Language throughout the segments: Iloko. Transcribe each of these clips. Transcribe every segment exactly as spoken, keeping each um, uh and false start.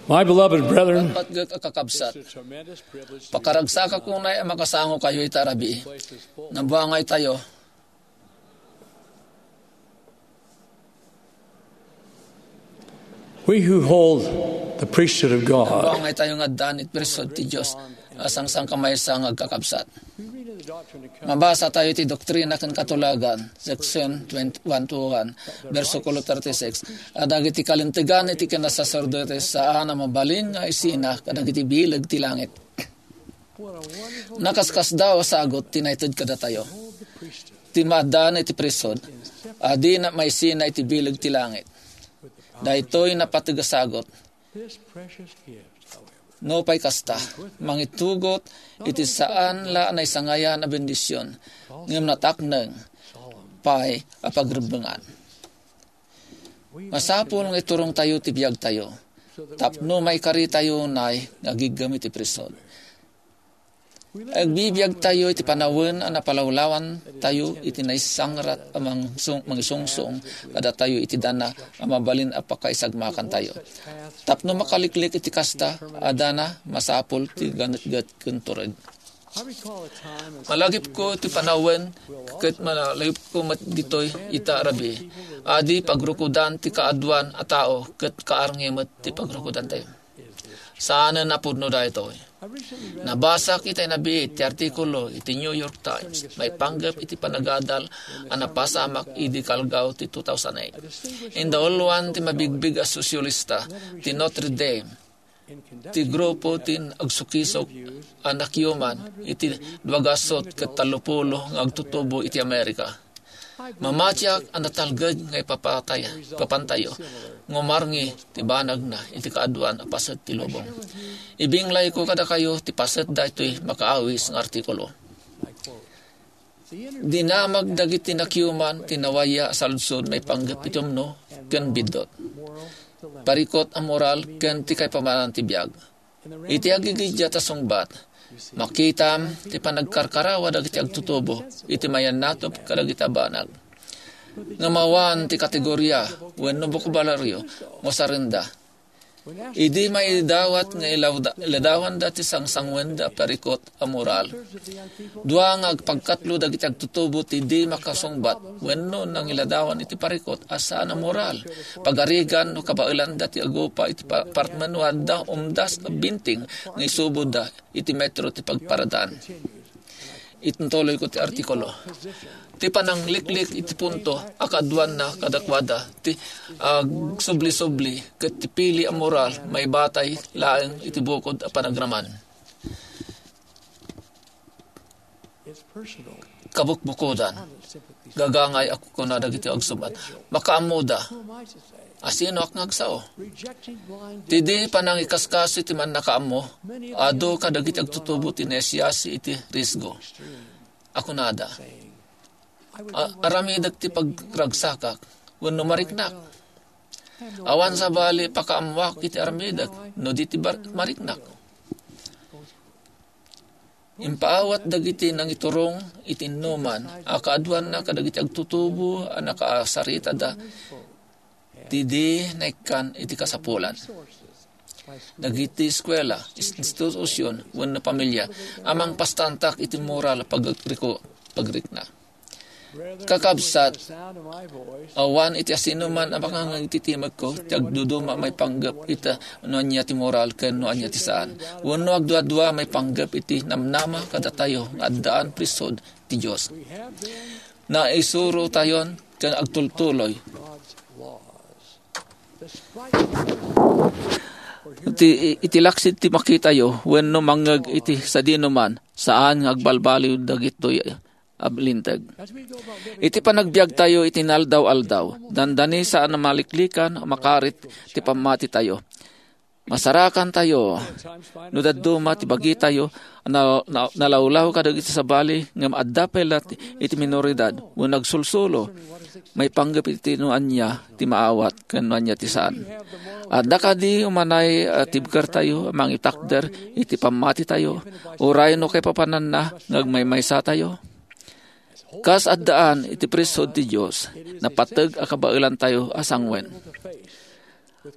My beloved brethren, patgek a kakabsat, pakaragsakak unay a makasangokayo ita rabii. Nabuangay tayo. We who hold the priesthood of God Nabuangay tayo nga addan iti priesthood ti Dios a sangsangkamaysa nga agkakabsat. Mabasa tayo ti Doktrina ken Katulagan, section twenty-one to one, bersikulo thirty-six, a dagiti kalintegan iti kinasaserdote saan a mabalin nga isina kadagiti bileg ti langit. Nakaskasdaaw a sagut ti naited kadatayo. Ti maaddaan iti priesthood, a dina maisina iti bileg ti langit. Daytoy napateg a sagut. Nupay kasta, mangitugot iti saan la a naisangayan a bendision, ngem natakneng pay a pagrebbengan. Masapul nga iturongtayo ti biagtayo tapno maikaritayo unay nga agiggem iti priesthood. Agbibiagtayo iti panawen a napalawlawantayo iti naisangrat a mangsung-, mangisungsong kadatayo iti dana a mabalin a pakaisagmakantayo. Tapno makaliklik iti kasta a dana, masapul ti ganetget ken tureg. Malagipko ti panawen ket malagipko met ditoy ita rabii. Adi pagrukodan ti kaaduan a tao ket kaarngi met ti pagrukodantayo. Saanen a pudno daytoy. Nabasak iti nabiit ti artikulo iti New York Times maipanggep iti panagadal a napasamak idi kalgaw ti two thousand eight. Indauluan ti mabigbig a sosialista ti Notre Dame, ti grupo ti agsukisok a nakiuman iti dua gasut ket tallopulo nga agtutubo iti Amerika. Mamatiak a natalged nga ipapatay, ipapantayo, nga umarngi ti banagna iti kaaduan a paset ti lubong. Ibinglayko kadakayo ti paset daytoy makaawis nga artikulo. Dinamag dagiti nakiuman ti nawaya a saludsod maipanggep iti umno ken biddut, parikut a moral ken ti kaipapanan ti biag. Iti agigiddiat a sungbat, makitam ti panagkarkarawa dagiti agtutubo iti mayannatop kadagiti a banag. Ngem awan ti kategoria wenno bokabulario nga usarenda. Idi maidawat nga ilawda-, iladawanda ti sangsanguenda a parikut a moral, dua nga agpagkatlo dagiti agtutubo ti di makasungbat wenno nangiladawan iti parikut a saan a moral, pagarigan no kabaelanda ti agupa iti pa-, apartment no adda umdas a binting nga isuboda iti metro ti pagparadaan. Ituntuloyko ti artikulo. Ti panangliklik iti punto a kaaduanna kadakuada ti agsubli-subli ket ti pili a moral maibatay laeng iti bukod a panagraman. Kabukbukodan. Gagangay a kukuna dagiti agsungbat. Makaammoda. Asinoak nga agsao? Ti di panangikaskasi ti mannakaammo, adu kadagiti agtutubo ti naisiasi iti risgo. A kunada, "A-, aramidek ti pagragsakak, wenno mariknak. Awan sabali pakaammoak iti aramidek, no di ti bar-, mariknak." Impaawat dagiti nangiturong iti innuman a kaaduanna kadagiti agtutubo a nakasaritada ti di naikkan iti kasapulan. Dagiti eskuela, institusion, wenno pamilia a mangpastantak iti moral a pagriko-, pagrikna. Kakabsat, awan iti asinoman a makangngeg iti timekko ti agduduma maipanggep ita no ania ti moral ken no ania ti saan, wenno agduadua maipanggep iti namnama kadatayo nga addaan priesthood ti Dios. Naisurotayon ken agtultuloy. Iti, iti laksid ti makitayo wenno mangngeg iti sadinoman, saan nga agbalbaliw dagitoy a linteg. Iti panagbiagtayo iti inaldaw-aldaw, dandani saan a maliklikan a makarit ti pammatitayo. Masarakantayo no dadduma ti bagitayo a na-, na-, nalawlaw kadagiti sabali ngem adda pay la ti, iti minoridad wenno agsulsulo maipanggep iti no ania ti maawat ken no ania ti saan. Adda kadi umanay a tibkertayo a mangitakder iti pammatitayo, uray no kaipapananna nga agmaymaysatayo? Kas addaan iti priesthood ti Dios, napateg a kabaelantayo a sanguen.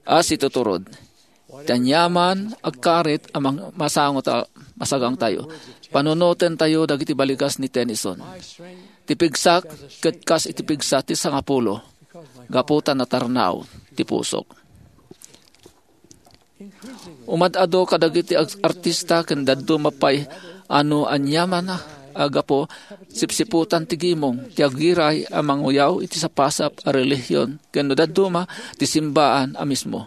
A situturod, Ti aniaman agkarit a mang-, masango ta-, masagangtayo. Panunotentayo dagiti balikas ni Tennyson. Ti pigsak ket kas iti pigsa ti sangapulo, gapu ta natarnaw ti pusok. Umad-ado kadagiti ag-, artista ken dadduma pay a no aniaman a gapu, sipsiputan ti gimong, ti agiray a manguyaw iti sapasap a relihion, ken no dadduma, ti simbaan a mismo.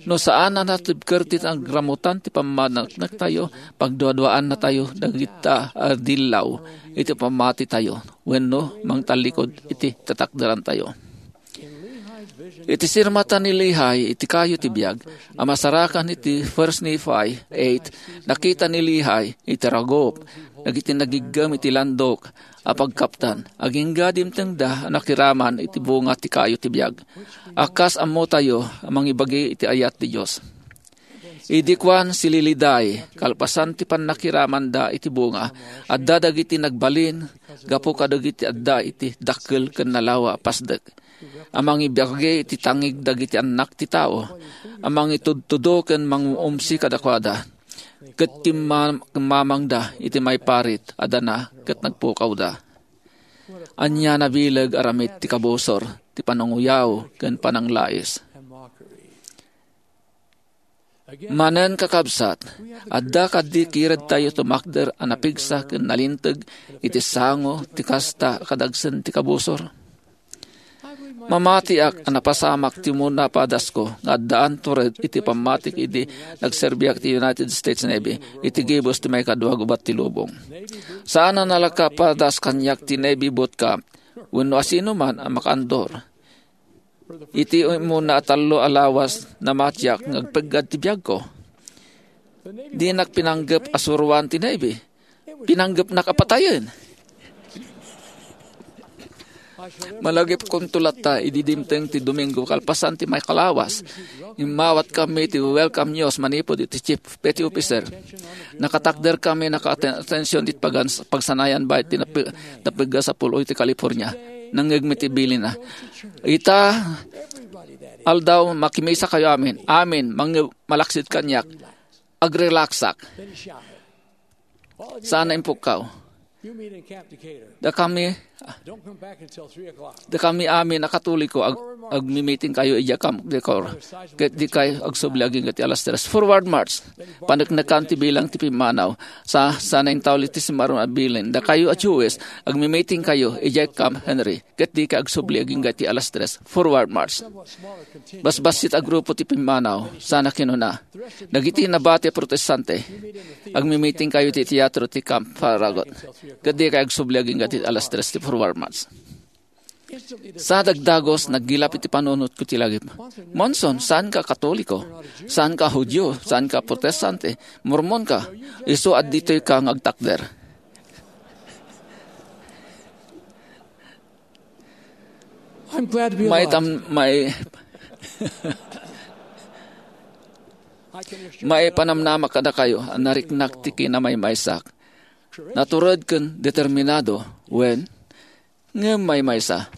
No saan a natibker ti nagramutan ti pammaneknektayo, pagduaduaannatayo dagita a dillaw iti pammatitayo wenno mangtallikud iti tatakderantayo. Iti sirmata ni Lehi iti kayo ti biag a masarakan iti First Nephi eight, nakita ni Lehi iti ragup dagiti nagiggem iti landok a pagkaptan, agingga dimtengda a nakiraman iti bunga ti kayo ti biag. A kas ammotayo a mangibagi iti ayat ti Dios. Idi kuan si Liliday, kalpasan ti pannakiramanda iti bunga, adda dagiti nagbalin gapu kadagiti adda iti dakkel ken nalawa a pasdek a mangibagi iti tangig dagiti annak ti tao, a mangitudtudo ken mangumsi kadakuada, ket kimma-, kimmamangda iti maiparit a dana ket nagpukawda. Ania nabileg aramid ti kabusor, ti pananguyaw ken pananglais. Manen, kakabsat, adda kadi kiredtayo tumakder a napigsa ken nalinteg iti sango ti kasta a kadagsen ti kabusor? Mamatiak a napasamak ti umuna a padasko nga addaan tured iti pammatik idi nagserbiak ti United States Navy iti gibus ti maikadua gubat ti lubong. Saan a nalaka padas kaniak ti Navy boot camp wenno asinoman a makaandor. Iti umuna a tallo a lawas, namatiak nga agpeggad ti biagko. Dinak pinanggep a suroan ti Navy. Pinanggepnak a patayen. Malagipkonto latta idi dimteng ti Domingo kalpasan ti maikalawas. Immawat kami ti welcome news manipud iti Chief Petty Officer. Nakatakder kami, naka-attention ti pagan-, pagsanayan baket ti napi-, napigga sapul iti California. Nangngegmi ti bilinna. Ita aldaw, makimisa kayo amin. Amin, mangngeg, malaksid kaniak. Agrelaksak. Sana impukkaw. Dakami, dakami amin a Katoliko, ag-, agmi-meeting kayo idiay Camp Decorah. Ket dikay agsubli agingga ti alas tres. Forward march. Paneknekan ti bilang ti pimmanaw. Sa, sana intauli ti simmaron a bilin. Dakayo a Jewish, agmi-meeting kayo idiay Camp Henry. Ket dikay agsubli agingga ti alas tres. Forward march. Basbassit a grupo ti pimmanaw, sana kinuna. Dagiti nabati a protestante, agmi-meeting kayo ti teatro ti Camp Farragut. Ket dikay agsubli agingga ti alas tres ti forward march. Sa dagdagos, naggilap iti panunotko ti lagip. Monson, saan ka Katoliko? Saan ka Judio? Saan ka Protestante? Mormon ka? Isu a ditoy ka nga agtakder. I'm glad to be alive. Maitam-, mai-, maipanamnamak kadakayo a nariknak ti kinamaymaysak. Natured ken determinado, wen, ngem maymaysa.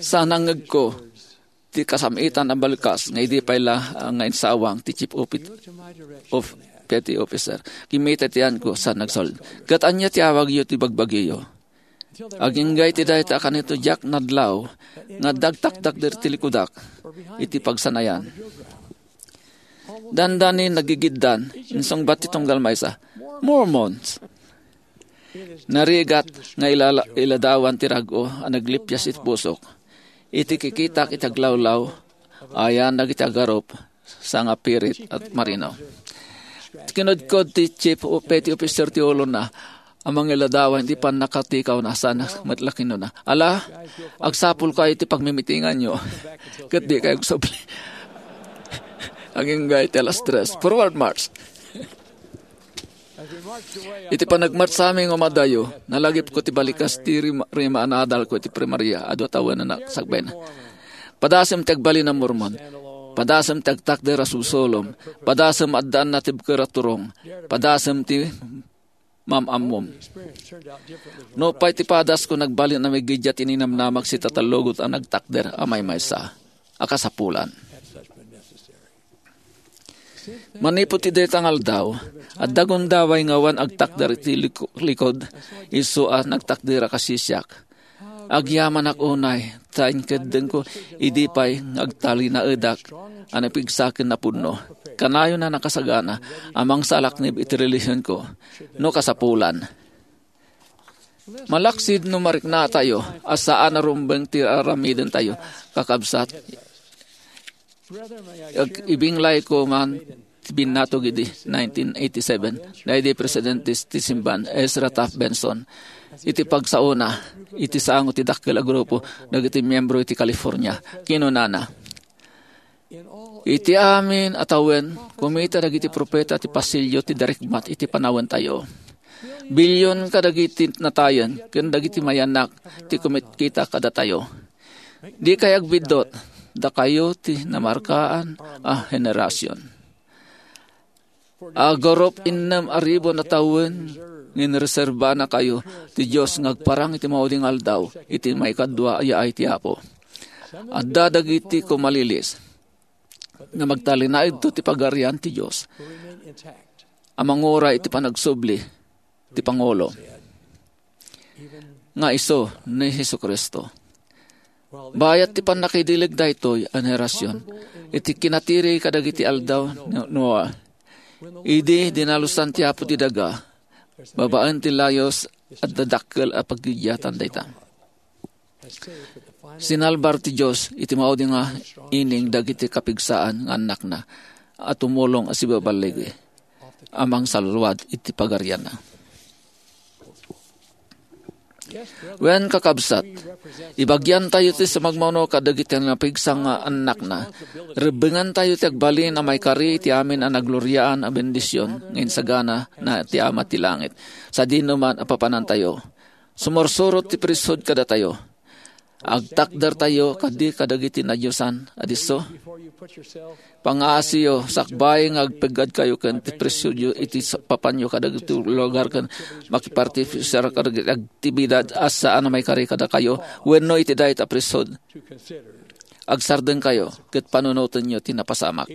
Sa nangngegko ti kasam-itan a balkas nga idi pay la, ah, nga insawang ti chief opi-, of petty officer. Kimmita ti yanko sa nagsaul. Ket ania ti awagyo ti bagbagiyo? Agingga iti dayta a kanito diak nadlaw nga dagtakdakder ti likudak iti pagsanayan. Dandani nagigiddan, insungbat ti tunggal maysa, "Mormons!" Narigat nga ilala-, iladawan ti rag-o a naglipias iti pusok. Iti kikitak iti aglawlaw, ayan dagiti agarup, sangapirit a marino. Kinudkod ti chief o petty officer ti ulona a mangiladawan iti pannakatikawna, sana met la kinuna, "Ala, agsapulkayo iti pagmimitinganyo." Ket dikay agsubli. Agingga iti alas tres. Forward march. Iti panagmarchami nga umadayo, nalagipko ti balikas ti rima, rima a naadalko iti primaria, adu a tawen a sakbayna. Padasem ti agbalin a Mormon. Padasem ti agtakder a sulsulom. Padasem adda a natibker a turong. Padasem ti mam-ammom. Nupay ti padasko, nagbalin a migiddiat ti ninamnamag iti tatallogot a nagtakder a maymaysa a kasapulan. Manipud ti dayta nga aldaw, adda gundaway nga awan agtakder iti liko-, likod, isu a nagtakder a kasisiak. Agyamanak unay, ta inkeddengko idi pay nga agtalinaedak a napigsa ken napudno. Kanayon a nakasagana a mangsalaknib iti relihionko no kasapulan. Malaksid no mariknatayo a saan a rumbeng ti aramidentayo, kakabsat, ag-, ibinglayko man ti binnatog idi nineteen eighty-seven, daydi presidente ti simban, Ezra Taft Benson, iti pagsaona, iti sango ti dakkel a grupo dagiti miyembro iti California. Kinunana, "Iti amin a tawen, kumita dagiti profeta ti pasilyo ti darikmat iti panawentayo. Bilyon kadagiti natayen ken dagiti mayanak ti kumitkita kadatayo. Dikay agbiddut, dakayo ti namarkaan a henerasion. Agurup innem a ribu a tawen nga inreserbanakayo ti Dios nga agparang iti maudi nga aldaw iti maikadua a yaay ti Apo. Adda dagiti kumalilis nga magtalinaedto ti pagarian ti Dios a manguray iti panagsubli ti Pangulo nga isu ni Jesu-Cristo." Bayat ti pannakaidileg daytoy a henerasion, iti kinatiri kadagiti aldaw ni Noah, idi dinalusan ti Apo ti daga, babaen ti layus, adda dakkel a paggiddiatan dayta. Sinalbar ti Dios iti maudi nga ining dagiti kapigsaan nga annakna a tumulong a sibaballigi a mangsalluad iti pagarianna. Wen, kakabsat, ibagiantayo ti sumagmamano kadagiti napigsa nga annakna. Rebbengantayo ti agbalin a maikari iti amin a nagloriaan a bendision nga insagana na ti Ama ti Langit sadino man a papanantayo. Sumursurot ti priesthood kadatayo. Agtakdertayo kadi kadagiti nadiosan a disso. Pangaasiyo sakbay nga agpeggadkayo ken ti priesthoodyo iti sa-, papanyo kadagiti lugar ken makipartisipar kadagiti aktibidad a saan a maikari kadakayo wenno iti dayta a priesthood. Agsardengkayo ket panunotenyo ti napasamak.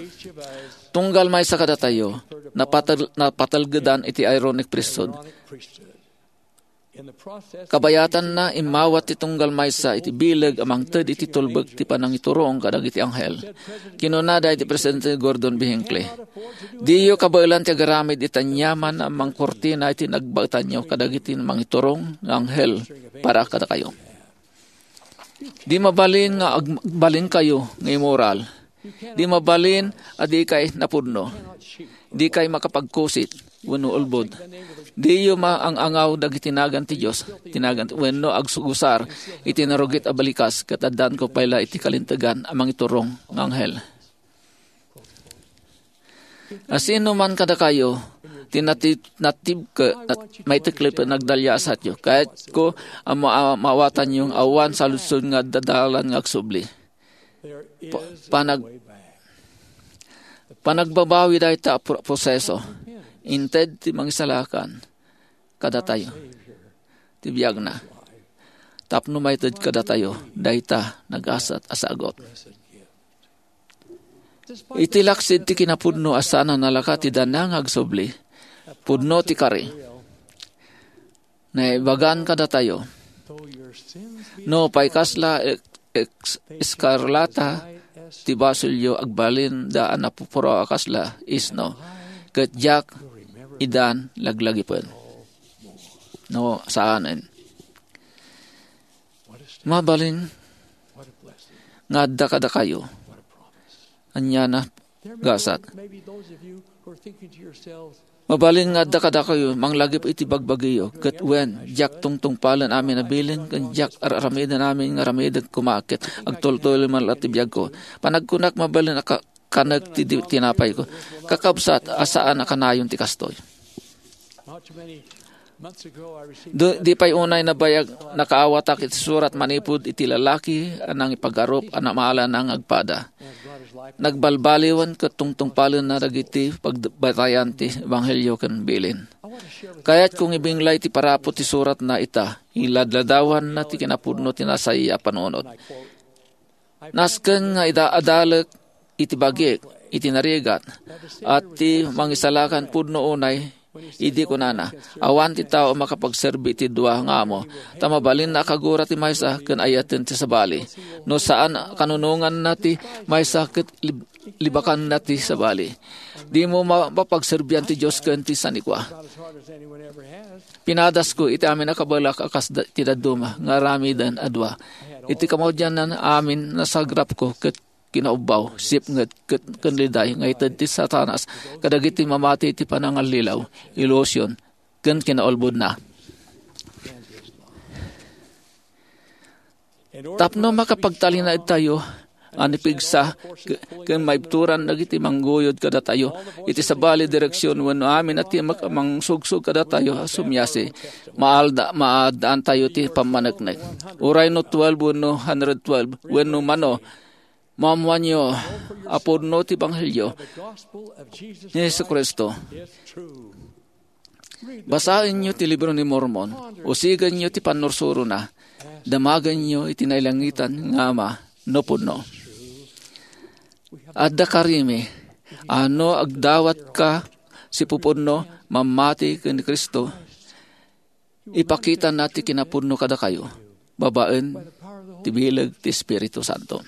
Tunggal maysa kadatayo, napatel-, napatelgedan iti Aaronic priesthood. Kabayatanna, immawat ti tunggal maysa iti bileg a mangted iti tulbek ti panangiturong kadagiti anghel. Kinuna daydi Presidente Gordon B. Hinckley, "Diyo kabaelan ti agaramid iti aniaman a mangkurtina iti nagbaetanyo kadagiti mangiturong nga anghel para kadakayo." Di mabalin nga agbalinkayo nga immoral. Di mabalin a dikay napudno. Dikay makapagkusit wenno ulbod. Diyo maang-angaw dagiti nagan ti Dios, ti nagan wenno agsugusar iti narugit a balikas ket addanko pay la iti kalintegan a mangiturong nga anghel. Asino man kadakayo ti nati-, natibke-, nat-, maiteklep a nagdaliasatyo. Kayatko a ma-, maawatanyo nga awan saludsod nga adda dalan nga agsubli. Pa-, panag-, panagbabawi dayta a pro-, proseso. Inted ti mangisalakan kadatayo ti biagna tapno maited kadatayo dayta nagasat a sagut. Iti laksid ti kinapudno a saan a nalaka ti dana nga agsubli, pudno ti kari. Naibagan kadatayo, "No pay kasla ek-, ek-, eskarlata ti basolyo, agbalin da a napupuraw a kasla isno, ket diak idan laglagipen." No, saanen. Mabalin nga adda kadakayo. Ania na gasat. Mabalin nga adda kadakayo, manglagip iti bagbagiyo, ket wen, diak tungtungpalen amin a bilin, ken diak ar-aramiden amin nga aramidek koma, ket agtultuloy man la ti biagko. Panagkunak, mabalin a ka-, kanek ti di-, tinapayko. Kakabsat, a saan a kanayon ti kastoy. Du-, di pay unay nabayag, nakaawatak iti surat manipud iti lalaki a nangipagarup a namaalana nga agpada. Nagbalbaliwen ket tungtungpalenna dagiti pagbatayan ti ebanghelio ken bilin. Kayatko nga ibinglay ti paraput ti suratna ita, iladladawanna ti kinapudno ti nasaya a panunot. Nasken nga ida-, adalek iti bagik, iti narigat, a ti mangisalakan pudno unay idi kunana, "Awan ti tao a makapagserbi iti dua nga amo, ta mabalinna a kagura ti maysa ken ayaten ti sabali. No saan a kanunonganna ti maysa ket lib-, libakanna ti sabali. Dimo ma-, mapagserbian ti Dios ken ti sanikua." Pinadasko iti amin a kabalak a kas da-, ti dadduma nga aramiden a dua. Iti kamaudianna, amin nasagrapko ket kinaubbaw, sipnget, ket ken liday nga ited ti Satanas kadagiti mamati iti panangallilaw, ilusion, ken kinaulbodna. Tapno makapagtalinaedtayo a nipigsa ke-, ken maibturan dagiti mangguyod kadatayo iti sabali direksion wenno amin a ti mak-, mangsugsog kadatayo a sumiasi, maalda-, maaddaantayo ti pammaneknek. Uray no twelve wenno hundred twelve wenno mano, maammoanyo a pudno ti ebanghelio ni Jesu-Cristo. Basaenyo ti Libro ni Mormon, usigenyo ti pannursurona, damagenyo iti nailangitan nga Ama no pudno. Adda karimi a no agdawatka ti pupudno, mammati ken ni Cristo, ipakitana ti kinapudno kadakayo babaen ti bileg ti Espiritu Santo.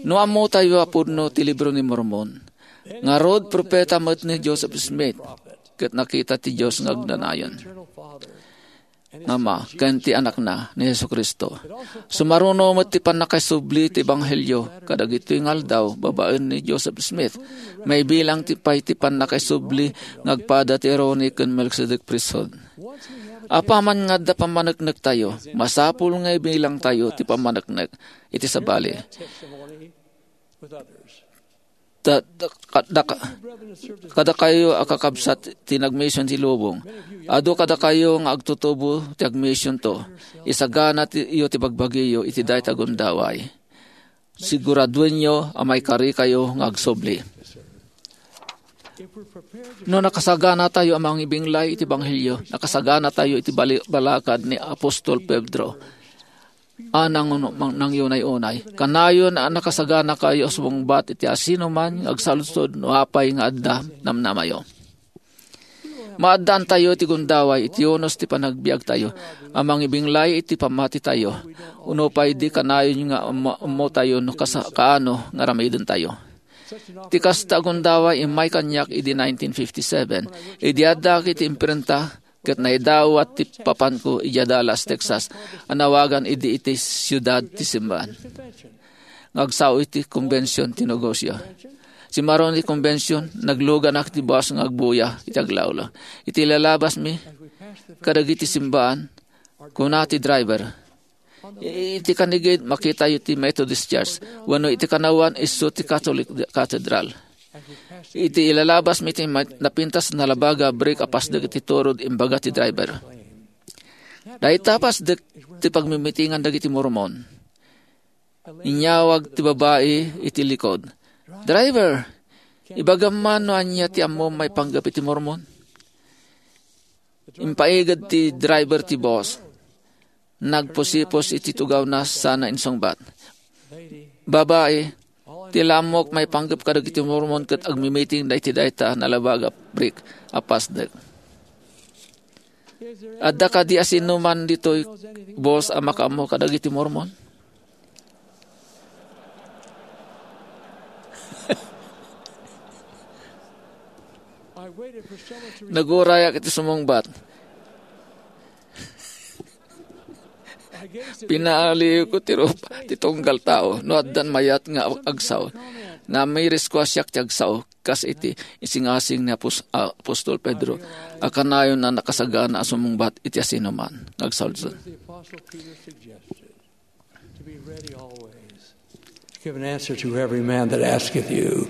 No ammotayo a pudno ti Libro ni Mormon, ngarud, propeta met ni Joseph Smith, ket nakita ti Dios nga agnanayon nga Ama ken ti Anakna ni Jesu-Cristo. Sumaruno met ti pannakaisubli ti ebanghelio kadagitoy nga aldaw babaen ni Joseph Smith. Maibilang ti pay ti pannakaisubli nga agpada ti Aaronic ken Melchizedek priesthood. Apaman nga adda pammaneknektayo, masapul nga ibilangtayo ti pammaneknek iti sabali. Da-, da-, ka-, da-, ka-, kadakayo a kakabsat ti nagmission ti lubong. Adu kadakayo nga agtutubo ti agmissionto. Isagana ti, iyo ti bagbagiyo iti dayta gundaway. Siguraduenyo a maikarikayo nga agsubli. No nakasaganatayo a mangibinglay iti ebanghelio, nakasaganatayo iti bali-, balakad ni Apostol Pedro a nang-, mang-, nangyunay-unay. Kanayon a nakasaganakayo a sumungbat iti asinoman nga agsaludsod no apay nga adda namnamayo. Maaddaantayo iti gundaway iti unos ti panagbiagtayo a mangibinglay iti pammatitayo, uno pay di kanayon nga ummo-, ummotayo no kasa-, kaano nga aramidentayo. Ti kasta a gundaway immay kaniak idi nineteen fifty-seven, idi addaak iti imprenta ket naidawat ti papanko idiay Dallas, Texas, a nawagan idi iti siudad ti simbahan nga agsao iti kombension ti negosio. Simaruno ti kombension, nagluganak ti bus nga agbuya iti aglawlaw. Iti ilalabasmi kadagiti simbahan, kuna ti driver, "Iti kanigid, makitayo ti Methodist Church, wenno iti kanawan, isu ti Catholic Cathedral." Iti ilalabasmi ti ma-, napintas a nalabaga a brick a pasdek iti turod, imbaga ti driver, "Dayta pasdek ti pagmimitingan dagiti Mormon." Inyawag ti babai iti likod, "Driver, ibagam man no ania ti ammom maipanggep iti Mormon?" Impaiged ti driver ti bus. Nagpusipos iti tugawna sana insungbat, "Babai, ti la ammok maipanggep kadagiti Mormon ket agmimitingda iti dayta a nalabaga a brick a pasdek. Adda kadi asinoman ditoy bus a makaammo kadagiti Mormon?" Nagurayak iti sumungbat. Pinaaliwko ti rupa ti tunggal tao no addan mayat nga agsao. Namirisko a siak ti agsao, kas iti isingasing ni Apos-, Apostol Pedro a kanayon a nakasagana a sumungbat iti asinoman nga agsaludsod. To be ready always to give an answer to every man that asketh you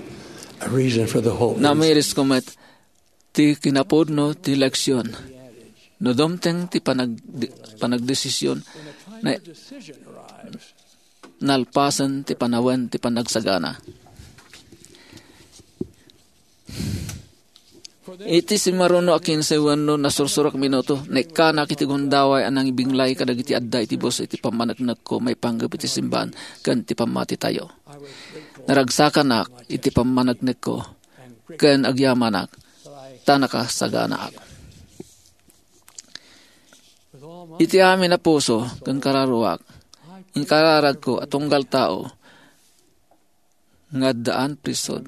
a reason for the hope. Namirisko met ti kinapudno ti leksion. No dumteng ti panag-, panagdesisyon, na-, nalpasen ti panawen ti panagsagana. Iti simaruno a kinse wenno nasursurak minuto, naikkanak iti gundaway a nangibinglay kadagiti adda iti bus iti pammaneknekko maipanggep iti simbahan ken ti pammatitayo. Naragsakanak iti pammaneknekko ken agyamanak ta nakasaganaak. Iti amin a puso ken kararuak, inkararagko a tunggal tao nga addaan prisod.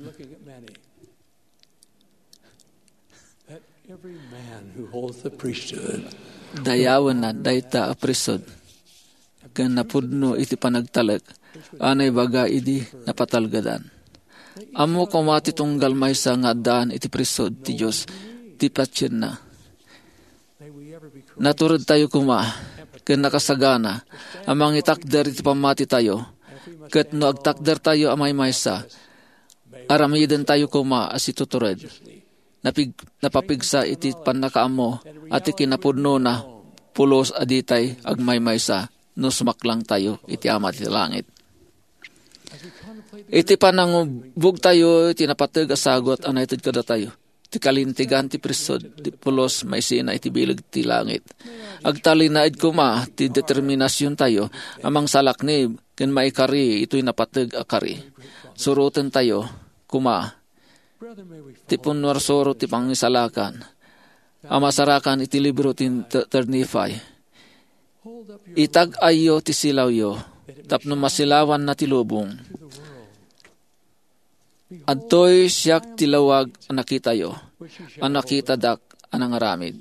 Every man who holds the priesthood. Dayawenna dayta a prisod ken napudno iti panagtalek a naibaga idi napatalgedan. Ammo koma ti tunggal maysa nga addaan iti prisod ti Dios ti patienna. Natured tayo koma ken nakasagana a mangitakder iti pammati tayo, ket no agtakder tayo a maymaysa, aramiden tayo koma a situtured. Napig-, napapigsa iti pannakaammo a ti kinapudnona pulos a ditay agmaymaysa no sumaklang tayo iti Ama ti langit. Iti panangubog tayo iti napateg a sagut a naited kadatayo, ti kalintegan ti priesthood ti pulos maisina iti bileg ti langit. Agtalinaed koma ti determinasion tayo a mangsalaknib ken maikari itoy napateg a kari. Suroten tayo koma ti punnuarsuro ti pangisalakan a masarakan iti libro ti Ter-, Ter Nephi. Itag-ayyo ti silawyo tapno masilawanna ti lubong. Adtoy siak ti lawag a nakitayo, a nakitadak a nangaramid.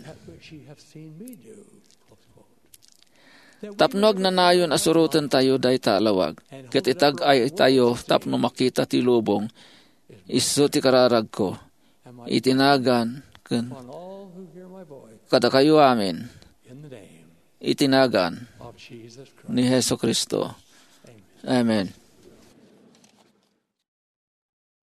Tapno agnanayon a suroten tayo dayta a lawag, ket itag-ay tayo tapno makita ti lubong, isu ti kararagko, iti nagan ken kadakayo amin, iti nagan ni Jesu-Cristo. Amen.